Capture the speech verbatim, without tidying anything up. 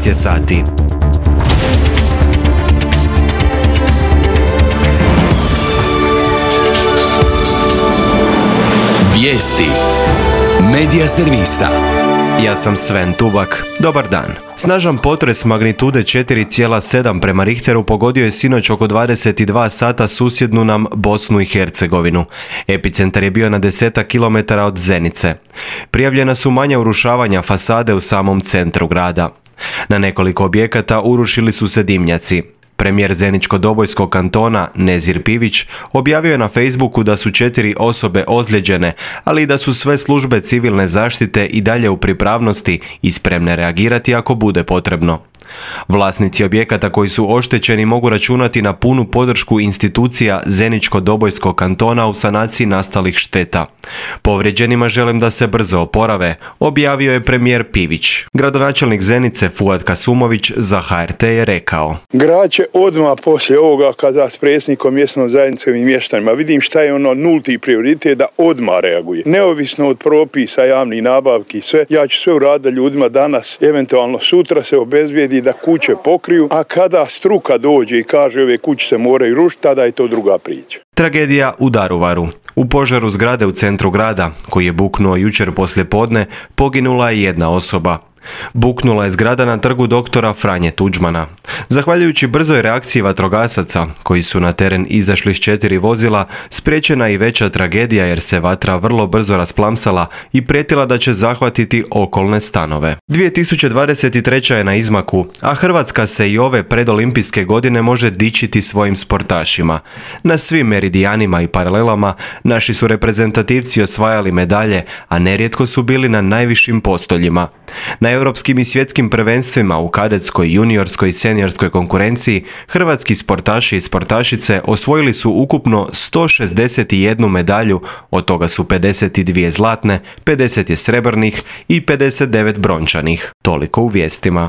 četrnaest je sati. Vijesti Medija servisa. Ja sam Sven Tubak. Dobar dan. Snažan potres magnitude četiri zarez sedam prema Richteru pogodio je sinoć oko dvadeset dva sata susjednu nam Bosnu i Hercegovinu. Epicentar je bio na desetak kilometara od Zenice. Prijavljena su manja urušavanja fasade u samom centru grada. Na nekoliko objekata urušili su se dimnjaci. Premijer Zeničko-Dobojskog kantona Nezir Pivić objavio je na Facebooku da su četiri osobe ozlijeđene, ali i da su sve službe civilne zaštite i dalje u pripravnosti i spremne reagirati ako bude potrebno. Vlasnici objekata koji su oštećeni mogu računati na punu podršku institucija Zeničko-Dobojskog kantona u sanaciji nastalih šteta. Povrijeđenima želim da se brzo oporave, objavio je premijer Pivić. Gradonačelnik Zenice Fuad Kasumović za H R T je rekao: Grad će odmah poslije ovoga kada s predsjednikom mjesnom zajednicom i mještanima vidim šta je ono nulti prioritet da odmah reaguje. Neovisno od propisa, javnih nabavki i sve, ja ću sve uraditi da ljudima danas, eventualno sutra se obezbijedi da kuće pokriju, a kada struka dođe i kaže ove kuće se moraju rušiti, tada je to druga priča. Tragedija u Daruvaru. U požaru zgrade u centru grada, koji je buknuo jučer poslijepodne, poginula je jedna osoba. Buknula je zgrada na trgu doktora Franje Tuđmana. Zahvaljujući brzoj reakciji vatrogasaca, koji su na teren izašli s četiri vozila, spriječena i veća tragedija jer se vatra vrlo brzo rasplamsala i prijetila da će zahvatiti okolne stanove. dvije tisuće dvadeset treća je na izmaku, a Hrvatska se i ove predolimpijske godine može dičiti svojim sportašima. Na svim meridijanima i paralelama naši su reprezentativci osvajali medalje, a nerijetko su bili na najvišim postoljima. Na europskim i svjetskim prvenstvima u kadetskoj, juniorskoj i seniorskoj konkurenciji hrvatski sportaši i sportašice osvojili su ukupno sto šezdeset jednu medalju, od toga su pedeset dvije zlatne, pedeset je srebrnih i pedeset devet brončanih. Toliko u vijestima.